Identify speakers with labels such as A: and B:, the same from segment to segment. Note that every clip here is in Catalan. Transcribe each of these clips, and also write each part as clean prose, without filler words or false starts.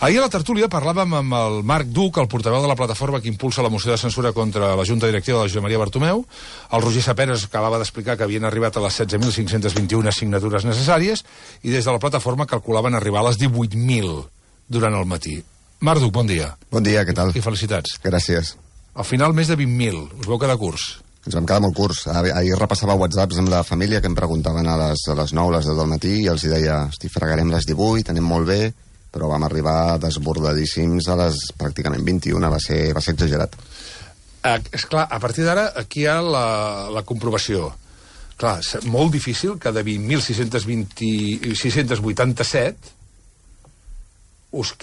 A: Ahir a la tertúlia parlàvem amb el Marc Duc, el portaveu de la plataforma que impulsa la moció de censura contra la Junta Directiva de la Josep Maria Bartomeu. El Roger Saperes acabava d'explicar que havien arribat a les 16.521 signatures necessàries i des de la plataforma calculaven arribar a les 18.000 durant el matí. Marc Duc, bon dia.
B: Bon dia, què tal?
A: I felicitats.
B: Gràcies.
A: Al final, més de 20.000. Us veu quedar curts?
B: Ens vam quedar molt curts. Ahir repassava whatsapps amb la família que em preguntaven a les 9, les 10 del matí, i els deia, fregarem les 18, anem molt bé, però vam arribar desbordadíssims a les pràcticament 21, va ser exagerat.
A: Esclar, a partir d'ara, aquí hi ha la comprovació. Clar, és molt difícil que de 20.687 us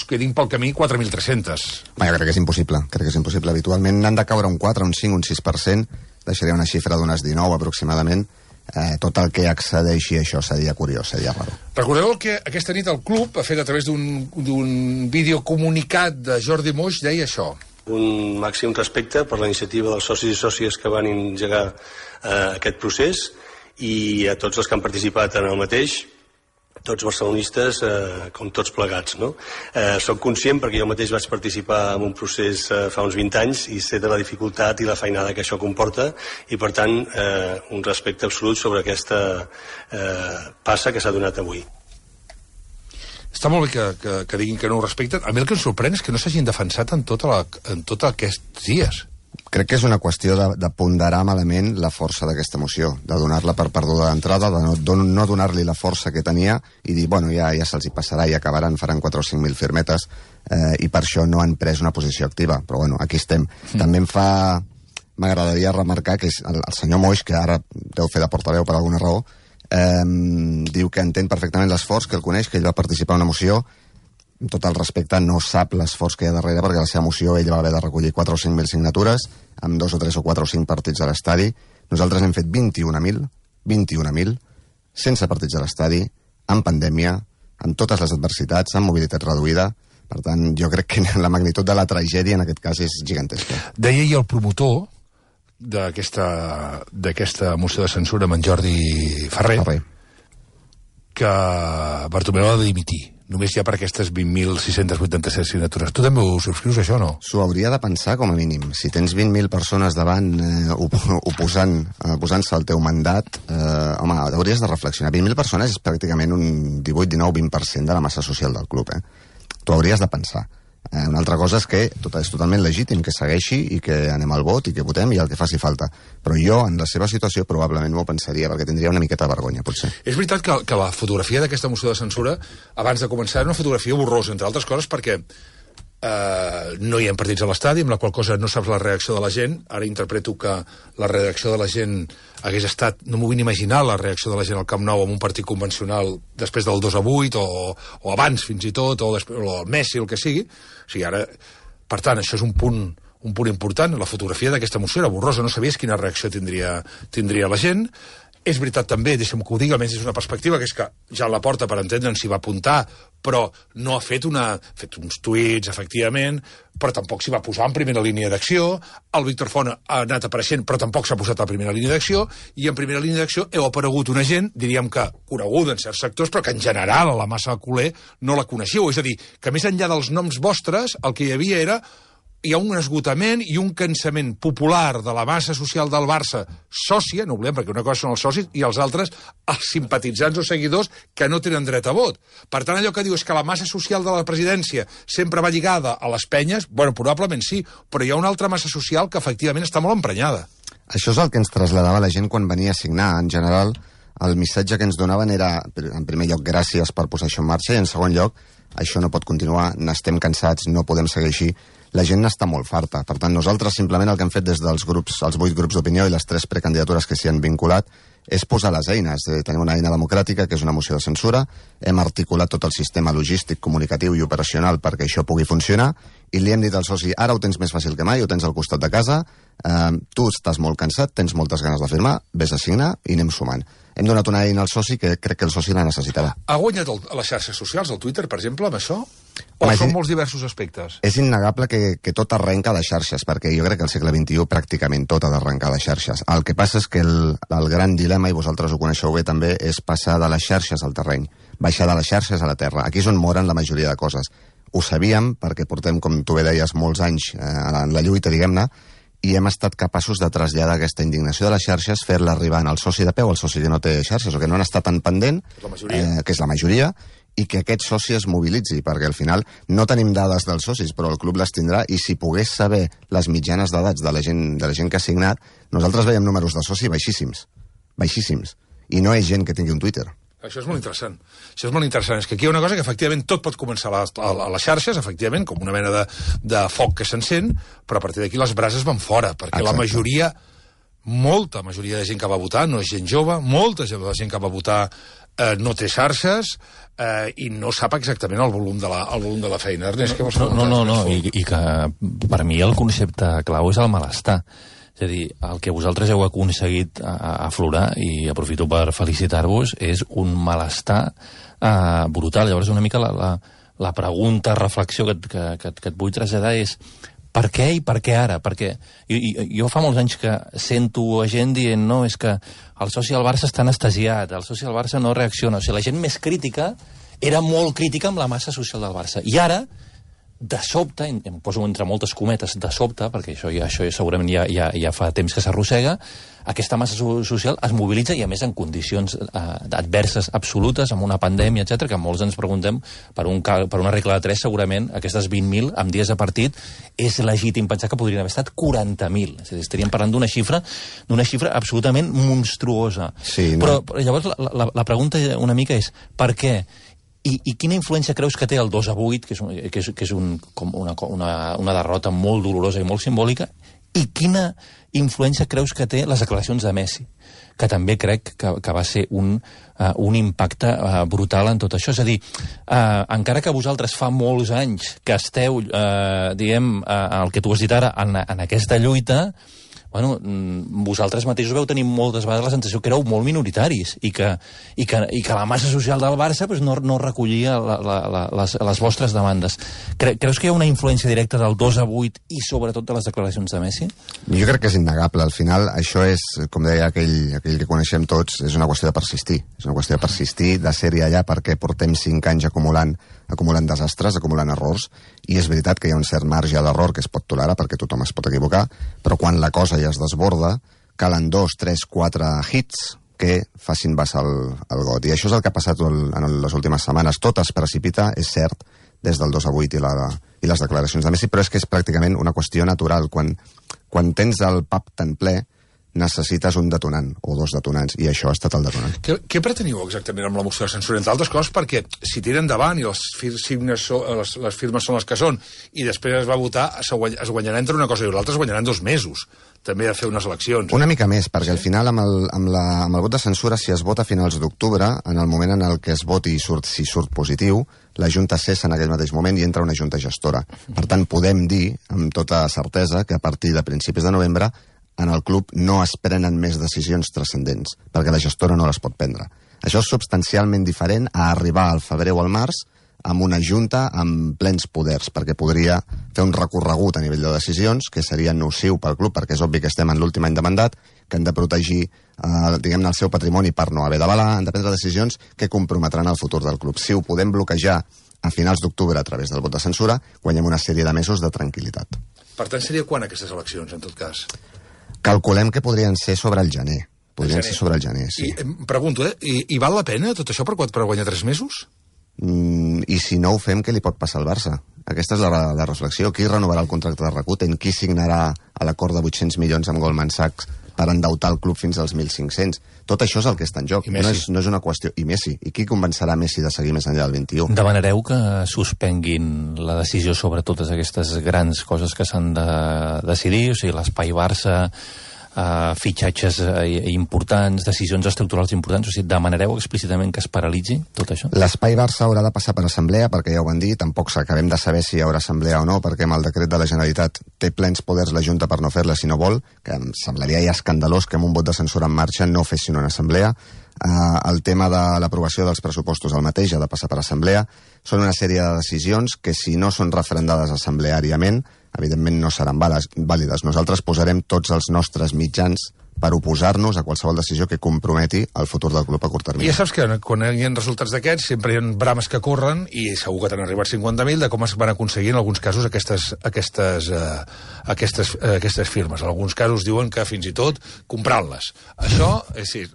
A: quedin pel camí 4.300.
B: Jo crec que és impossible. Habitualment n'han de caure un 4, un 5, un 6%, deixaria una xifra d'unes 19 aproximadament. Tot el que accedeixi a això seria curiós, seria raro.
A: Recordeu que aquesta nit el club ha fet a través d'un videocomunicat de Jordi Moix, deia això.
C: Un màxim respecte per la iniciativa dels socis i sòcies que van engegar aquest procés i a tots els que han participat en el mateix, tots barcelonistes, com tots plegats, no? Soc conscient, perquè jo mateix vaig participar en un procés fa uns 20 anys i sé de la dificultat i la feinada que això comporta i, per tant, un respecte absolut sobre aquesta passa que s'ha donat avui.
A: Està molt bé que diguin que no ho respecten. A mi el que em sorprèn és que no s'hagin defensat en tots aquests dies.
B: Crec que és una qüestió de ponderar malament la força d'aquesta moció, de donar-la per perduda d'entrada, de no donar-li la força que tenia i dir, bueno, ja se'ls hi passarà i acabaran, faran 4 o 5.000 firmetes, i per això no han pres una posició activa. Però bueno, aquí estem. També m'agradaria remarcar que és el senyor Moix, que ara deu fer de portaveu per alguna raó, diu que entén perfectament l'esforç, que el coneix, que ell va participar en una moció. Amb tot el respecte, no sap l'esforç que hi ha darrere, perquè la seva moció ell va haver de recollir 4 o 5.000 signatures, amb 2 o 3 o 4 o 5 partits a l'estadi. Nosaltres hem fet 21.000, sense partits a l'estadi, en pandèmia, amb totes les adversitats, amb mobilitat reduïda. Per tant, jo crec que la magnitud de la tragèdia en aquest cas és gigantesca.
A: Deia ahir el promotor d'aquesta moció de censura amb en Jordi Ferrer que Bartomeu ha de dimitir, només ja per aquestes 20.687 signatures. Tu també ho subscrius, això, o no?
B: S'ho hauria de pensar, com a mínim. Si tens 20.000 persones davant oposant-se al teu mandat, home, hauries de reflexionar. 20.000 persones és pràcticament un 18, 19, 20% de la massa social del club, T'ho hauries de pensar. Una altra cosa és que és totalment legítim que segueixi i que anem al vot i que votem i el que faci falta. Però jo, en la seva situació, probablement m'ho pensaria, perquè tindria una miqueta de vergonya, potser.
A: És veritat que la fotografia d'aquesta moció de censura, abans de començar, era una fotografia borrosa, entre altres coses, perquè no hi ha partits a l'estadi, amb la qual cosa no saps la reacció de la gent. Ara interpreto que la reacció de la gent hagués estat, no m'ho vull imaginar, la reacció de la gent al Camp Nou amb un partit convencional després del 2-8 o abans fins i tot, o el Messi, el que sigui. O sigui, ara, per tant, això és un punt important. La fotografia d'aquesta moció era borrosa, no sabies quina reacció tindria la gent. És veritat també, deixa'm que ho digui, almenys és una perspectiva, que és que ja la porta, per entendre'n, s'hi va apuntar, però no ha fet uns tuits, efectivament, però tampoc s'hi va posar en primera línia d'acció. El Víctor Font ha anat apareixent, però tampoc s'ha posat a primera línia d'acció, i en primera línia d'acció heu aparegut una gent, diríem que coneguda en certs sectors, però que en general a la massa culer no la coneixeu. És a dir, que més enllà dels noms vostres, el que hi havia era hi ha un esgotament i un cansament popular de la massa social del Barça sòcia, no oblidem, perquè una cosa són els socis i els altres, els simpatitzants o seguidors que no tenen dret a vot. Per tant, allò que diu és que la massa social de la presidència sempre va lligada a les penyes, bueno, probablement sí, però hi ha una altra massa social que efectivament està molt emprenyada.
B: Això és el que ens traslladava la gent quan venia a signar. En general, el missatge que ens donaven era, en primer lloc, gràcies per posar això en marxa, i en segon lloc, això no pot continuar, n'estem cansats, no podem seguir així. La gent n'està molt farta. Per tant, nosaltres simplement el que hem fet des dels grups, els 8 grups d'opinió i les 3 precandidatures que s'hi han vinculat, és posar les eines. Tenim una eina democràtica, que és una moció de censura, hem articulat tot el sistema logístic, comunicatiu i operacional perquè això pugui funcionar, i li hem dit al soci, ara ho tens més fàcil que mai, ho tens al costat de casa, tu estàs molt cansat, tens moltes ganes de firmar, vés a signar i anem sumant. Hem donat una eina al soci que crec que el soci la necessitava.
A: Ha guanyat a les xarxes socials, el Twitter, per exemple, amb això? O són molts diversos aspectes?
B: És innegable que tot arrenca de xarxes, perquè jo crec que al segle XXI pràcticament tot ha d'arrencar de xarxes. El que passa és que el gran dilema, i vosaltres ho coneixeu bé també, és passar de les xarxes al terreny. baixar de les xarxes a la terra. Aquí és on moren la majoria de coses. Ho sabíem, perquè portem, com tu bé deies, molts anys en la lluita, diguem-ne, i hem estat capaços de traslladar aquesta indignació de les xarxes, fer-la arribar al soci de peu, al soci que no té xarxes, o que no n'està tan pendent, que és la majoria, i que aquest soci es mobilitzi, perquè al final no tenim dades dels socis, però el club les tindrà, i si pogués saber les mitjanes d'edats de la gent que ha signat, nosaltres veiem números de soci baixíssims, i no és gent que tingui un Twitter.
A: Això és molt interessant. Això és molt interessant. És que aquí hi ha una cosa que efectivament tot pot començar a les xarxes, efectivament, com una mena de foc que s'encén, però a partir d'aquí les brases van fora, perquè la majoria, molta majoria de gent que va votar no és gent jove, molta gent que va votar no té xarxes i no sap exactament el volum de la feina. Ernest, què vols comentar?
D: No, i que per mi el concepte clau és el malestar. És a dir, el que vosaltres heu aconseguit aflorar, i aprofito per felicitar-vos, és un malestar brutal. Llavors, una mica la pregunta, reflexió que et vull traslladar és per què i per què ara? Perquè jo fa molts anys que sento gent dient no, és que el soci del Barça està anestesiat, el soci del Barça no reacciona. O sigui, la gent més crítica era molt crítica amb la massa social del Barça. I ara, de sobte, em poso entre moltes cometes, de sobte, perquè això segurament ja fa temps que s'arrossega, aquesta massa social es mobilitza i, a més, en condicions adverses absolutes, amb una pandèmia, etc, que molts ens preguntem, per una regla de 3, segurament, aquestes 20.000 amb dies de partit, és legítim pensar que podrien haver estat 40.000. És a dir, estaríem parlant d'una xifra absolutament monstruosa. Sí, no? Però llavors la pregunta una mica és per què? I quina influència creus que té el 2-8, que és una derrota molt dolorosa i molt simbòlica, i quina influència creus que té les declaracions de Messi, que també crec que va ser un impacte brutal en tot això? És a dir, encara que vosaltres fa molts anys que esteu, diguem, el que tu has dit ara, en aquesta lluita, bueno, vosaltres mateixos veu tenir moltes vegades la sensació que éreu molt minoritaris i que la massa social del Barça pues, no recollia les vostres demandes. Creus que hi ha una influència directa del 2-8 i sobretot de les declaracions de Messi?
B: Jo crec que és innegable. Al final, això és, com deia aquell que coneixem tots, és una qüestió de persistir. És una qüestió de persistir, de ser-hi allà, perquè portem 5 anys acumulant desastres, acumulant errors, i és veritat que hi ha un cert marge a l'error que es pot tolerar perquè tothom es pot equivocar, però quan la cosa ja es desborda, calen 2, 3, 4 hits que facin vessar el got. I això és el que ha passat en les últimes setmanes. Tot es precipita, és cert, des del 2-8 i les declaracions de Messi, però és que és pràcticament una qüestió natural. Quan tens el pub tan ple, necessites un detonant o 2 detonants, i això ha estat el detonant.
A: Què preteniu exactament amb la moció de censura? Entre altres coses, perquè si tira endavant i les firmes són les que són i després es va votar, es guanyarà entre una cosa i l'altra, es guanyaran 2 mesos també a fer unes eleccions.
B: Una mica més, perquè al final amb el vot de censura, si es vota a finals d'octubre, en el moment en el que es voti si surt positiu, la Junta cessa en aquell mateix moment i entra una Junta gestora. Per tant, podem dir amb tota certesa que a partir de principis de novembre en el club no es prenen més decisions transcendents, perquè la gestora no les pot prendre. Això és substancialment diferent a arribar al febrer o al març amb una junta amb plens poders, perquè podria fer un recorregut a nivell de decisions que seria nociu pel club, perquè és obvi que estem en l'últim any de mandat, que han de protegir diguem-ne el seu patrimoni per no haver d'avalar, han de prendre decisions que comprometran el futur del club. Si ho podem bloquejar a finals d'octubre a través del vot de censura, guanyem una sèrie de mesos de tranquil·litat.
A: Per tant, seria quan aquestes eleccions, en tot cas?
B: Calculem que podrien ser sobre el gener. Podrien ser sobre el gener, sí.
A: I pregunto, i val la pena tot això per guanyar 3 mesos?
B: I si no ho fem, què li pot passar al Barça? Aquesta és la reflexió. Qui renovarà el contracte de Rakuten? Qui signarà l'acord de 800 milions amb Goldman Sachs per endeutar el club fins als 1.500? Tot això és el que està en joc. No és una qüestió... I Messi. I qui convencerà Messi de seguir més enllà del 21?
D: Demanareu que suspenguin la decisió sobre totes aquestes grans coses que s'han de decidir? O sigui, l'espai Barça, fitxatges importants, decisions estructurals importants, o sigui, demanareu explícitament que es paralitzi tot això?
B: L'espai Barça haurà de passar per assemblea, perquè ja ho van dir, tampoc acabem de saber si hi haurà assemblea o no, perquè amb el decret de la Generalitat té plens poders la Junta per no fer-la si no vol, que em semblaria ja escandalós que amb un vot de censura en marxa no fessin una assemblea. El tema de l'aprovació dels pressupostos el mateix, ha de passar per assemblea. Són una sèrie de decisions que, si no són referendades assembleàriament, evidentment no seran vàlides. Nosaltres posarem tots els nostres mitjans per oposar-nos a qualsevol decisió que comprometi el futur del club a curt termini.
A: I ja saps que quan hi ha resultats d'aquests sempre hi ha brames que corren i segur que t'han arribat 50.000 de com es van aconseguir en alguns casos aquestes firmes. En alguns casos diuen que fins i tot comprant-les. Això, sí,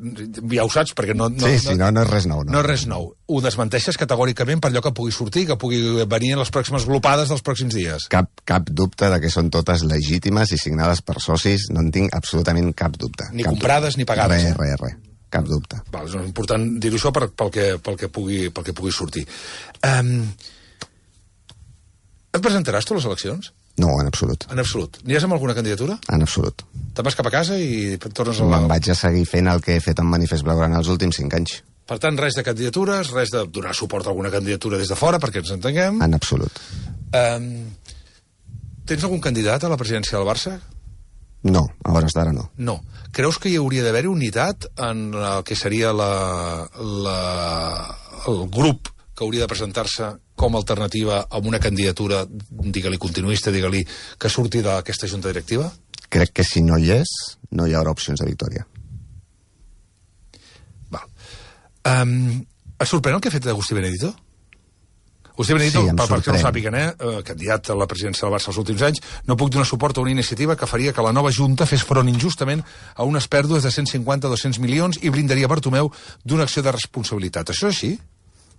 A: ja ho saps perquè no
B: és res nou.
A: No és res nou. Ho desmenteixes categòricament per allò que pugui sortir, que pugui venir en les pròximes glopades dels pròxims dies.
B: Cap dubte de que són totes legítimes i signades per socis, no en tinc absolutament cap dubte.
A: Ni comprades ni pagades.
B: Res. Cap dubte.
A: Val, és important dir-ho això pel que pugui sortir. Et presentaràs tu a les eleccions?
B: No, en absolut.
A: En absolut. N'hi has amb alguna candidatura?
B: En absolut.
A: Te'n vas cap a casa i tornes a
B: Me'n vaig a seguir fent el que he fet en Manifest Blaugrana els últims 5 anys.
A: Per tant, res de candidatures, res de donar suport a alguna candidatura des de fora, perquè ens entenguem.
B: En absolut.
A: Tens algun candidat a la presidència del Barça?
B: No, a hores d'ara no.
A: No. Creus que hi hauria d'haver unitat en el que seria el grup que hauria de presentar-se com a alternativa a una candidatura, digue-li continuista, digue-li que surti d'aquesta junta directiva?
B: Crec que si no hi és, no hi haurà opcions de victòria.
A: Val. Et sorprèn el que ha fet Agustí Benedito? Agustí Benedito,
B: sí,
A: perquè no ho sàpiguen, candidat a la presidència del Barça els últims anys, no puc donar suport a una iniciativa que faria que la nova Junta fes front injustament a unes pèrdues de 150-200 milions i blindaria Bartomeu d'una acció de responsabilitat. Això és així?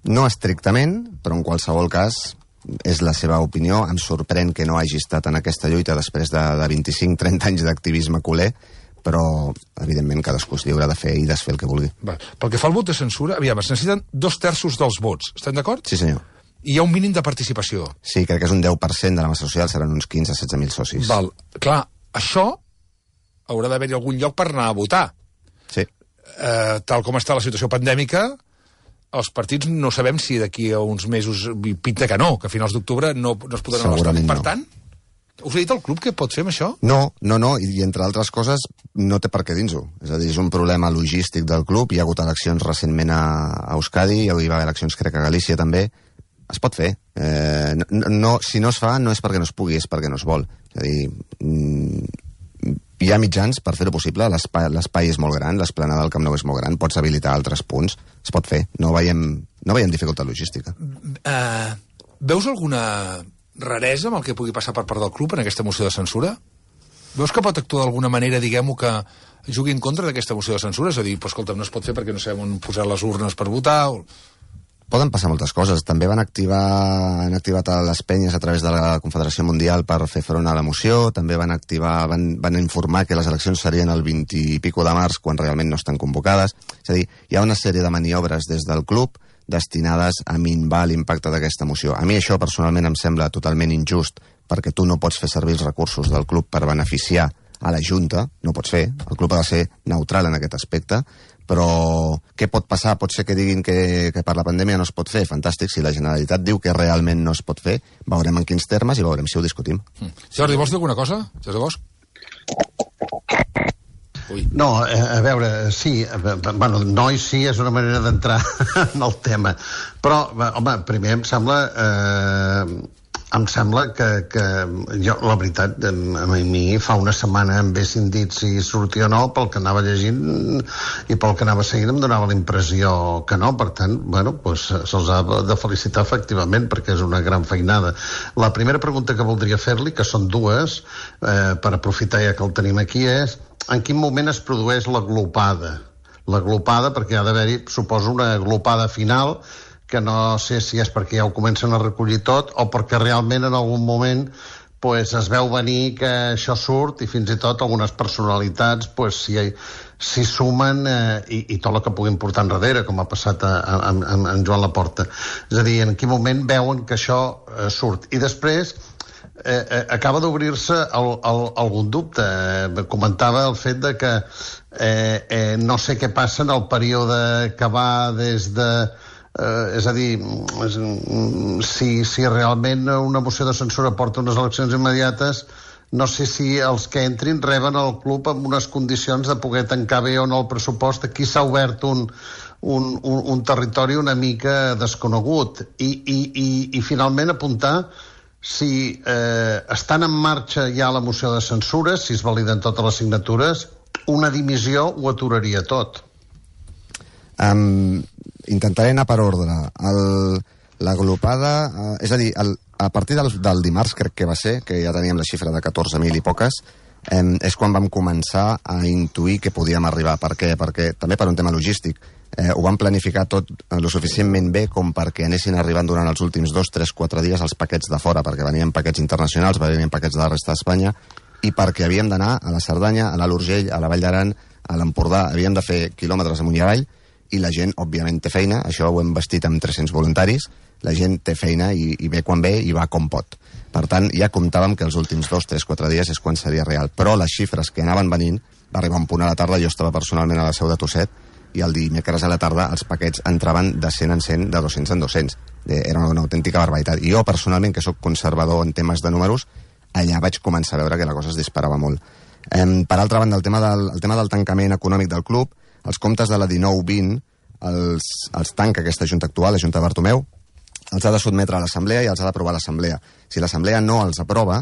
B: No estrictament, però en qualsevol cas és la seva opinió. Em sorprèn que no hagi estat en aquesta lluita després de 25-30 anys d'activisme culer, però, evidentment, cadascú és lliure de fer i desfer el que vulgui.
A: Va. Pel que fa al vot de censura, aviam, es necessiten 2/3 dels vots. Estem d'acord?
B: Sí, senyor.
A: I hi ha un mínim de participació.
B: Sí, crec que és un 10% de la massa social, seran uns 15-16.000 socis.
A: Val. Clar, això haurà d'haver-hi algun lloc per anar a votar.
B: Sí.
A: Tal com està la situació pandèmica, els partits no sabem si d'aquí a uns mesos pinta que no, que a finals d'octubre no es podran anar a l'estadi. Per tant, us ha dit el club què pot fer amb això?
B: No, i entre altres coses no té per què dins-ho. És a dir, és un problema logístic del club, hi ha hagut eleccions recentment a Euskadi, hi va haver eleccions crec a Galícia també, es pot fer. Si no es fa no és perquè no es pugui, és perquè no es vol. És a dir, hi ha mitjans per fer-ho possible, l'espai és molt gran, l'esplanada del Camp Nou és molt gran, pots habilitar altres punts, es pot fer, no veiem dificultat logística.
A: Veus alguna raresa amb el que pugui passar per part del club en aquesta moció de censura? Veus que pot actuar d'alguna manera, diguem-ho, que jugui en contra d'aquesta moció de censura? És a dir, escolta, no es pot fer perquè no sabem on posar les urnes per votar...
B: Poden passar moltes coses. També han activat a les penyes a través de la Confederació Mundial per fer front a la moció, també van informar que les eleccions serien el 20 i pico de març quan realment no estan convocades. És a dir, hi ha una sèrie de maniobres des del club destinades a minvar l'impacte d'aquesta moció. A mi això personalment em sembla totalment injust perquè tu no pots fer servir els recursos del club per beneficiar a la Junta, no pots fer, el club ha de ser neutral en aquest aspecte, però què pot passar? Pot ser que diguin que per la pandèmia no es pot fer. Fantàstic, si la Generalitat diu que realment no es pot fer, veurem en quins termes i veurem si ho discutim.
A: Jordi, vols dir alguna cosa? Jordi Bosch?
E: No, a veure, sí, bueno, no i sí és una manera d'entrar en el tema, però, home, primer em sembla que jo, la veritat, a mi fa una setmana em haguessin dit si sortia o no, pel que anava llegint i pel que anava seguint em donava la impressió que no, per tant, bueno, doncs se'ls ha de felicitar efectivament perquè és una gran feinada. La primera pregunta que voldria fer-li, que són dues, per aprofitar ja que el tenim aquí, és en quin moment es produeix la glopada? La glopada, perquè ha d'haver-hi, suposo, una glopada final que no sé si és perquè ja ho comencen a recollir tot o perquè realment en algun moment pues, es veu venir que això surt i fins i tot algunes personalitats pues, s'hi sumen i tot el que puguin portar enrere, com ha passat amb Joan Laporta. És a dir, en quin moment veuen que això surt. I després acaba d'obrir-se algun dubte. Comentava el fet de que no sé què passa en el període que va des de... és a dir, si realment una moció de censura porta unes eleccions immediates, no sé si els que entrin reben el club amb unes condicions de poder tancar bé o no el pressupost. Aquí s'ha obert un territori una mica desconegut. I finalment apuntar si estan en marxa ja la moció de censura, si es validen totes les signatures, una dimissió ho aturaria tot.
B: Intentaré anar per ordre. L'agrupada, és a dir, a partir del dimarts, crec que va ser, que ja teníem la xifra de 14.000 i poques, és quan vam començar a intuir que podíem arribar. Per què? Perquè, també per un tema logístic, ho vam planificar tot lo suficientment bé com perquè anessin arribant durant els últims 2, 3, 4 dies els paquets de fora, perquè venien paquets internacionals, venien paquets de la resta d'Espanya, i perquè havíem d'anar a la Cerdanya, a l'Alt Urgell, a la Vall d'Aran, a l'Empordà, havíem de fer quilòmetres amunt i avall, i la gent, òbviament, té feina, això ho hem vestit amb 300 voluntaris, la gent té feina i ve quan ve i va com pot. Per tant, ja comptàvem que els últims 2, 3, 4 dies és quan seria real. Però les xifres que anaven venint, va arribar un punt a la tarda, jo estava personalment a la seu de Tosset, i el dimecres a la tarda els paquets entraven de 100 en 100, de 200 en 200. Era una autèntica barbaritat. I jo, personalment, que sóc conservador en temes de números, allà vaig començar a veure que la cosa es disparava molt. Per altra banda, el tema del tancament econòmic del club, els comptes de la 19-20 els tanca aquesta Junta actual, la Junta de Bartomeu, els ha de sotmetre a l'Assemblea i els ha d'aprovar l'Assemblea. Si l'Assemblea no els aprova,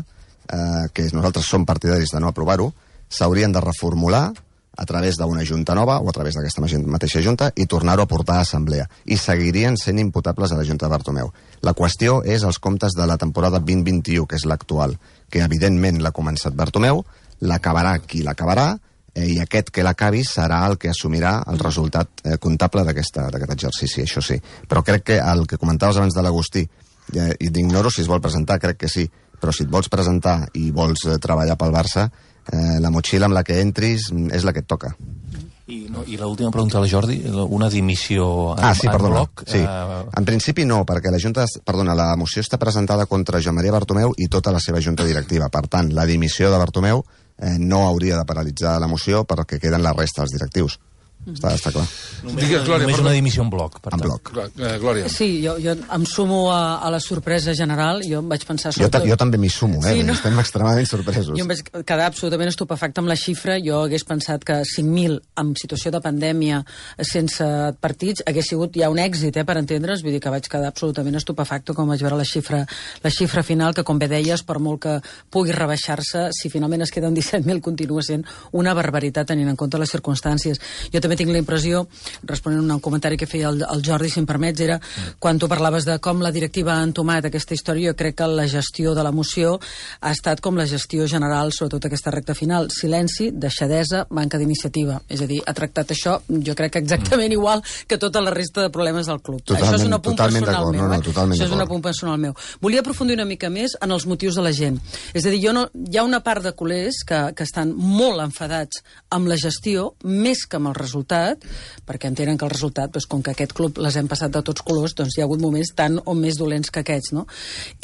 B: que nosaltres som partidaris de no aprovar-ho, s'haurien de reformular a través d'una Junta nova o a través d'aquesta mateixa Junta i tornar-ho a portar a Assemblea. I seguirien sent imputables a la Junta de Bartomeu. La qüestió és els comptes de la temporada 2021, que és l'actual, que evidentment l'ha començat Bartomeu, l'acabarà qui l'acabarà, i aquest que l'acabi serà el que assumirà el resultat comptable d'aquest exercici, això sí. Però crec que el que comentaves abans de l'Agustí, i t'ignoro si es vol presentar, crec que sí, però si et vols presentar i vols treballar pel Barça, la motxilla amb la que entris és la que et toca.
D: I l'última pregunta al Jordi, una dimissió en bloc?
B: Sí. En principi no, perquè la moció està presentada contra Joan Maria Bartomeu i tota la seva junta directiva. Per tant, la dimissió de Bartomeu no hauria de paralitzar la moció perquè queden la resta dels directius. Està clar.
D: Només una dimissió en bloc.
B: En bloc.
A: Glòria.
F: Sí, jo em sumo a la sorpresa general. Jo em vaig pensar...
B: Jo també m'hi sumo,
F: sí, no?
B: Estem extremadament sorpresos.
F: Jo em vaig quedar absolutament estupefacte amb la xifra. Jo hagués pensat que 5.000 en situació de pandèmia sense partits hagués sigut ja un èxit, per entendre's. Vull dir que vaig quedar absolutament estupefacte quan vaig veure la xifra final, que com bé deies, per molt que pugui rebaixar-se, si finalment es queden 17.000 continua sent una barbaritat tenint en compte les circumstàncies. Jo també tinc la impressió, responent a un comentari que feia el Jordi, si em permets, era quan tu parlaves de com la directiva ha entomat aquesta història, jo crec que la gestió de la moció ha estat com la gestió general, sobretot aquesta recta final. Silenci, deixadesa, manca d'iniciativa. És a dir, ha tractat això, jo crec que exactament igual que tota la resta de problemes del club. Això és un apunt personal meu. Això és un apunt personal meu. Volia aprofundir una mica més en els motius de la gent. És a dir, hi ha una part de culers que estan molt enfadats amb la gestió, més que amb el resultat, perquè entenen que el resultat, com que aquest club les hem passat de tots colors, doncs hi ha hagut moments tan o més dolents que aquests, no?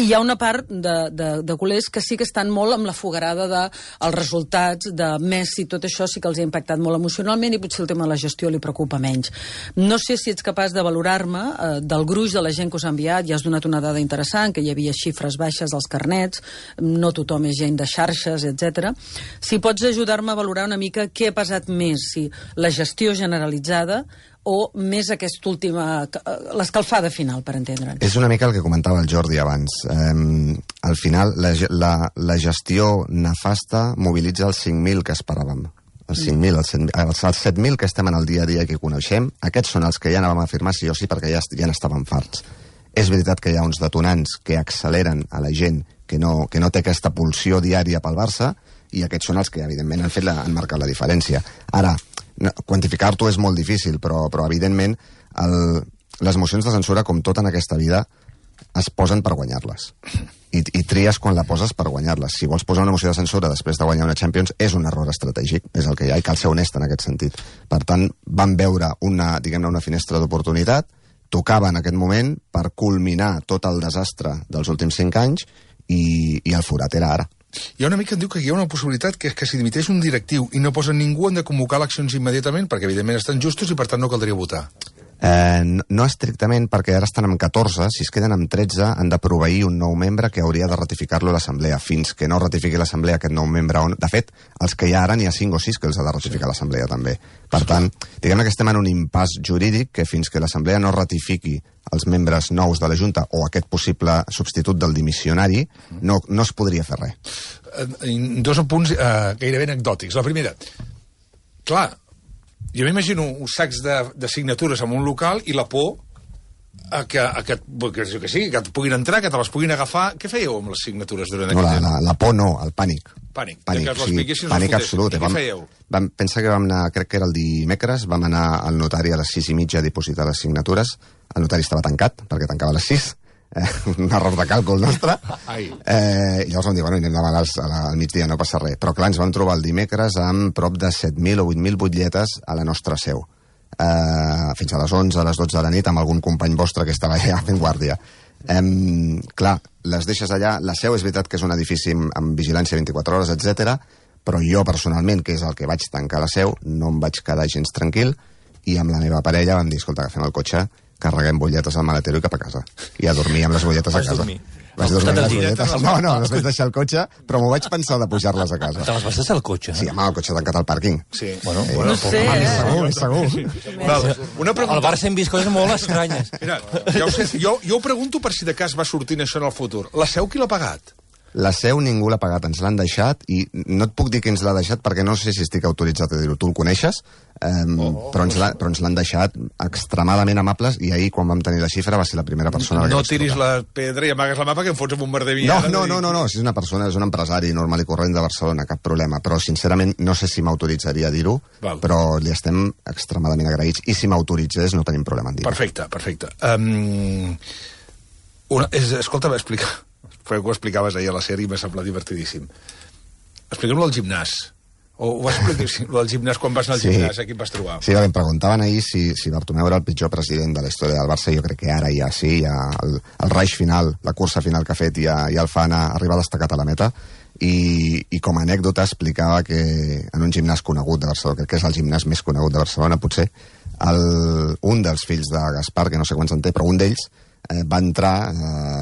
F: I hi ha una part de culers que sí que estan molt amb la fogarada dels resultats, de Messi, tot això sí que els ha impactat molt emocionalment i potser el tema de la gestió li preocupa menys. No sé si ets capaç de valorar-me del gruix de la gent que us ha enviat, ja has donat una dada interessant, que hi havia xifres baixes als carnets, no tothom és gent de xarxes, etc. Si pots ajudar-me a valorar una mica què ha pesat més, si la gestió generalitzada o més aquesta última, l'escalfada final, per entendre'ns.
B: És una mica el que comentava el Jordi abans. Al final, la gestió nefasta mobilitza els 5.000 que esperàvem. Els 5.000, els 7.000 que estem en el dia a dia que coneixem, aquests són els que ja anàvem a firmar sí o sí perquè ja n'estàvem farts. És veritat que hi ha uns detonants que acceleren a la gent que no té aquesta pulsió diària pel Barça i aquests són els que, evidentment, han marcat la diferència. Ara, quantificar-t'ho és molt difícil, però evidentment, les mocions de censura, com tot en aquesta vida, es posen per guanyar-les. I tries quan la poses per guanyar-les. Si vols posar una moció de censura després de guanyar una Champions, és un error estratègic, és el que hi ha, i cal ser honest en aquest sentit. Per tant, vam veure una finestra d'oportunitat, tocava en aquest moment per culminar tot el desastre dels últims 5 anys i el forat era ara.
A: Hi ha una mica que diu que hi ha una possibilitat que és que si dimiteix un directiu i no posen ningú han de convocar eleccions immediatament perquè evidentment estan justos i per tant no caldria votar.
B: No estrictament, perquè ara estan amb 14, si es queden amb 13 han de proveir un nou membre que hauria de ratificar-lo a l'Assemblea. Fins que no ratifiqui l'Assemblea aquest nou membre, de fet, els que hi ha ara n'hi ha 5 o 6 que els ha de ratificar l'Assemblea també. Per tant, diguem que estem en un impàs jurídic que fins que l'Assemblea no ratifiqui els membres nous de la Junta o aquest possible substitut del dimissionari, no es podria fer res.
A: 2 punts gairebé anecdòtics. La primera, clar, jo m'imagino uns sacs de signatures en un local i la por que et puguin entrar, que te les puguin agafar. Què fèieu amb les signatures durant
B: No,
A: aquest temps?
B: la por no, el pànic.
A: Pànic.
B: Pànic,
A: Que els
B: sí,
A: piquessin,
B: pànic
A: els
B: absolut.
A: fotessin. Què fèieu?
B: Pensa que vam anar, crec que era el dimecres, vam anar al notari a les 6:30 a dipositar les signatures. El notari estava tancat, perquè tancava a les 6. Un error de càlcul nostre. Llavors vam dir, bueno, anem demà al migdia, no passa res. Però clar, ens vam trobar el dimecres amb prop de 7.000 o 8.000 butlletes a la nostra seu. Fins a les 11, a les 12 de la nit, amb algun company vostre que estava allà fent guàrdia. Clar, les deixes allà. La seu és veritat que és un edifici amb vigilància 24 hores, etc. Però jo personalment, que és el que vaig tancar la seu, no em vaig quedar gens tranquil, i amb la meva parella vam dir, escolta, agafem el cotxe, carreguem butlletes al maletero i cap a casa. I a dormir amb les butlletes a casa. Vaig dormir amb les butlletes. No, les vaig deixar al cotxe, però m'ho vaig pensar de pujar-les a casa.
D: Te les vas deixar al cotxe?
B: Sí, amb el cotxe tancat al pàrquing.
A: Sí.
D: Bueno,
F: No sé,
B: Segur.
A: Val, una pregunta.
D: Al Barça hem vist coses molt estranyes.
A: Mira, ja ho sé, jo ho pregunto per si de cas va sortint això en el futur. La seu qui l'ha pagat?
B: La seu ningú l'ha pagat, ens l'han deixat, i no et puc dir qui ens l'ha deixat perquè no sé si estic autoritzat a dir-ho. Tu el coneixes, però ens l'han deixat extremadament amables, i ahir, quan vam tenir la xifra, va ser la primera persona
A: No tiris la pedra i amagues la mà perquè em fots amb un merder vinyada.
B: No, si és una persona, és un empresari normal i corrent de Barcelona, cap problema, però sincerament no sé si m'autoritzaria a dir-ho, però li estem extremadament agraïts, i si m'autoritzés no tenim problema en dir-ho.
A: Perfecte. Escolta, m'explica. Però que ho explicaves ahir a la sèrie i m'ha semblat divertidíssim. Explica'm-lo al gimnàs. O ho vas explicar al gimnàs quan vas anar al gimnàs, a qui em vas trobar?
B: Sí, em preguntaven ahir si Bartomeu era el pitjor president de la història del Barça. Jo crec que ara ja sí, ja el raig final, la cursa final que ha fet ja el fa arribar destacat a la meta. I com a anècdota explicava que en un gimnàs conegut de Barcelona, crec que és el gimnàs més conegut de Barcelona, potser, un dels fills de Gaspar, que no sé quants en té, però un d'ells va entrar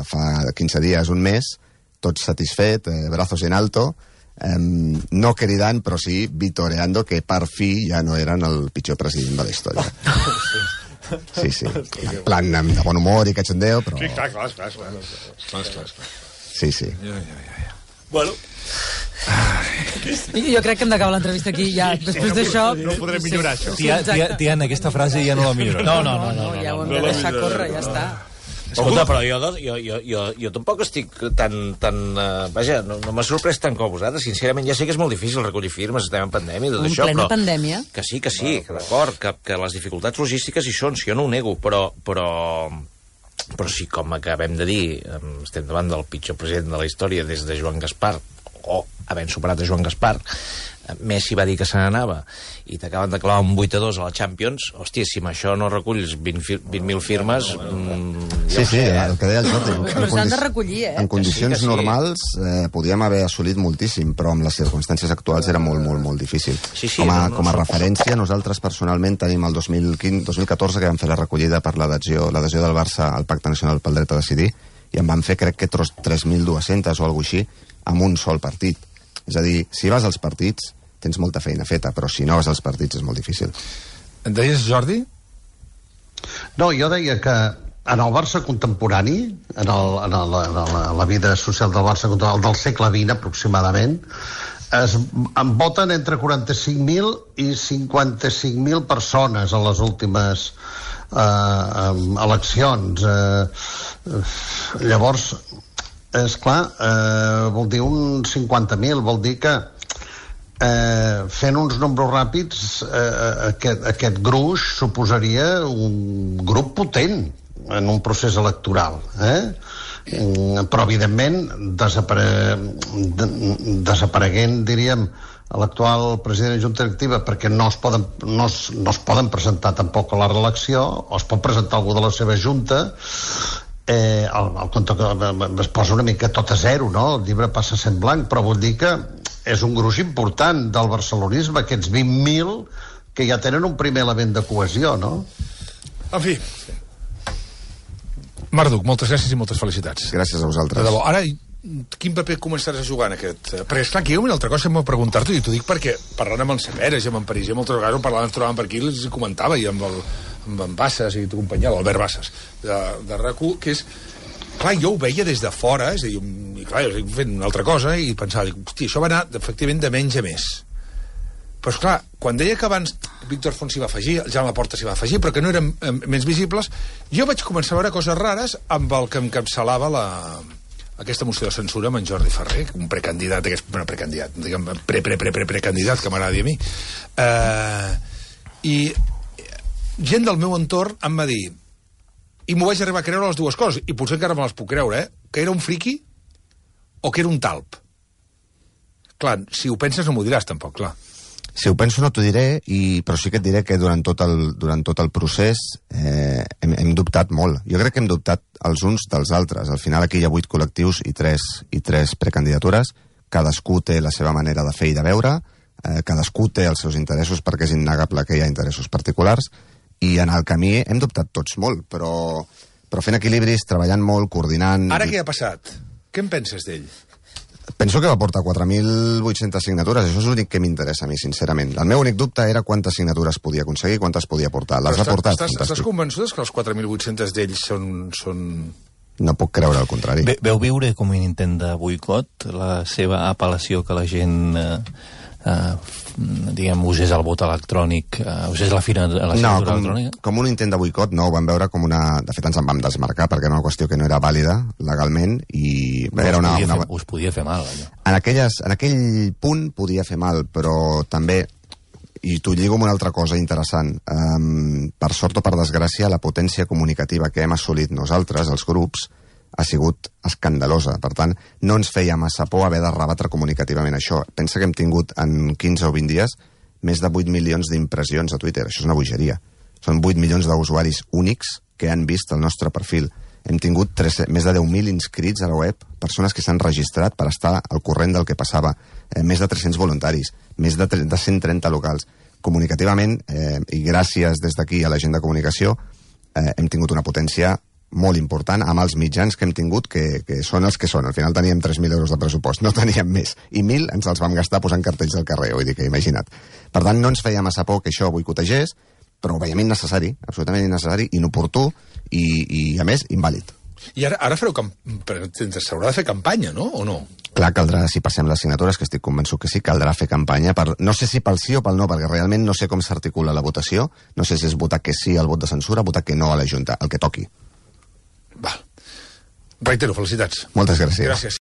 B: fa 15 dies, un mes, tot satisfet, brazos en alto, no cridant, però sí vitoreando que per fi ja no eren el pitjor president de la història. Sí. En plan, de bon humor i cachondeo, però...
A: Sí, clar.
B: Sí.
A: Bueno...
F: Jo crec que hem d'acabar l'entrevista aquí ja. Després d'això...
A: No podrem millorar això.
D: Tiana, aquesta frase ja no la millora.
F: No, ja ho hem de deixar córrer, ja està.
G: Escolta, però jo tampoc estic tan... Vaja, no m'ha sorprès tant com vosaltres. Sincerament, ja sé que és molt difícil recollir firmes, estem en pandèmia i tot això,
F: plena pandèmia.
G: Que sí, que d'acord, que les dificultats logístiques hi són, si jo no ho nego, però sí, com acabem de dir, estem davant del pitjor president de la història des de Joan Gaspar, o havent superat a Joan Gaspar. Messi va dir que se n'anava i t'acaben de clavar un 8-2 a la Champions. Hòstia, si amb això no reculls 20.000 firmes...
B: Sí, el que deia el Jota.
F: Però s'han de recollir,
B: En condicions normals podíem haver assolit moltíssim, però amb les circumstàncies actuals era molt difícil. Com a referència, nosaltres personalment tenim el 2014 que vam fer la recollida per l'adhesió del Barça al Pacte Nacional pel Dret a Decidir, i en van fer, crec que 3.200 o alguna així, amb un sol partit. És a dir, si vas als partits tens molta feina feta, però si no vas als partits és molt difícil.
A: En deies, Jordi?
E: No, jo deia que en el Barça contemporani, en la vida social del Barça contemporani, del segle XX aproximadament, en voten entre 45.000 i 55.000 persones a les últimes eleccions. Llavors, és clar, vol dir un 50.000, vol dir que fent uns números ràpids aquest gruix suposaria un grup potent en un procés electoral, però evidentment desapareguent, diríem, l'actual president de Junta Directiva, perquè no es poden presentar tampoc a la reelecció, o es pot presentar algú de la seva junta, el compte es posa una mica tot a zero, no? El llibre passa sent blanc, però vull dir que és un gruix important del barcelonisme, aquests 20.000 que ja tenen un primer element de cohesió, no?
A: En fi. Marduk, moltes gràcies i moltes felicitats.
B: Gràcies a vosaltres.
A: De debò. Ara, quin paper començaràs a jugar en aquest... Perquè, esclar, que hi ha una altra cosa que m'ho preguntar-t'ho, i t'ho dic perquè parlant amb en Saperes i amb en París, moltes vegades ens trobàvem per aquí, els comentava, i amb en Bassas i companyia, l'Albert Bassas, de RAC1, que és... Clar, jo ho veia des de fora, és a dir, i clar, jo estic fent una altra cosa, i pensava, hosti, això va anar, efectivament, de menys a més. Però, esclar, quan deia que abans Víctor Font s'hi va afegir, el Jan Laporta s'hi va afegir, però que no eren menys visibles, jo vaig començar a veure coses rares amb el que encapçalava aquesta moció de censura amb en Jordi Ferrer, un precandidat, diguem, precandidat, que m'agradi a mi. I gent del meu entorn em va dir, i m'ho vaig arribar a creure les dues coses, i potser encara me les puc creure, que era un friqui o que era un talp. Clar, si ho penses no m'ho diràs tampoc, clar.
B: Si ho penso no t'ho diré, però sí que et diré que durant tot el procés hem dubtat molt. Jo crec que hem dubtat els uns dels altres. Al final aquí hi ha 8 col·lectius i 3 precandidatures. Cadascú té la seva manera de fer i de veure, cadascú té els seus interessos perquè és innegable que hi ha interessos particulars, i en el camí hem dubtat tots molt, però fent equilibris, treballant molt, coordinant...
A: Ara què ha passat? Què en penses d'ell?
B: Penso que va portar 4.800 signatures, això és l'únic que m'interessa a mi, sincerament. El meu únic dubte era quantes signatures podia aconseguir, quantes podia portar. Les ha portat, fantàstic.
A: Estàs convençut que els 4.800 d'ells són...
B: No puc creure el contrari.
D: Veu viure com un intent de boicot la seva apel·lació que la gent diguem, usés el vot electrònic, usés la signatura electrònica?
B: Com un intent de boicot no, ho vam veure com una... De fet, ens en vam desmarcar perquè era una qüestió que no era vàlida legalment i era
D: us podia fer mal, allò.
B: En aquell punt podia fer mal, però també, i t'ho lligo amb una altra cosa interessant, per sort o per desgràcia, la potència comunicativa que hem assolit nosaltres, els grups, ha sigut escandalosa. Per tant, no ens feia massa por haver de rebatre comunicativament això. Pensa que hem tingut en 15 o 20 dies més de 8 milions d'impressions a Twitter. Això és una bogeria. Són 8 milions d'usuaris únics que han vist el nostre perfil. Hem tingut més de 10.000 inscrits a la web, persones que s'han registrat per estar al corrent del que passava, més de 300 voluntaris, més de 130 locals. Comunicativament, i gràcies des d'aquí a la gent de comunicació, hem tingut una potència molt important amb els mitjans que hem tingut, que són els que són. Al final teníem 3.000 euros de pressupost, no teníem més. I 1.000 ens els vam gastar posant cartells al carrer, vull dir que imagina't. Per tant, no ens feia massa por que això boicotegés, però ho veiem innecessari, absolutament innecessari, inoportú i a més, invàlid.
A: I ara fareu s'haurà de fer campanya, no? O no?
B: Clar, caldrà, si passem les signatures, que estic convençut que sí, caldrà fer campanya. No sé si pel sí o pel no, perquè realment no sé com s'articula la votació, no sé si és votar que sí al vot de censura, votar que no a la Junta, el que toqui.
A: Val. Reitero, felicitats.
B: Moltes gràcies.
A: Gràcies.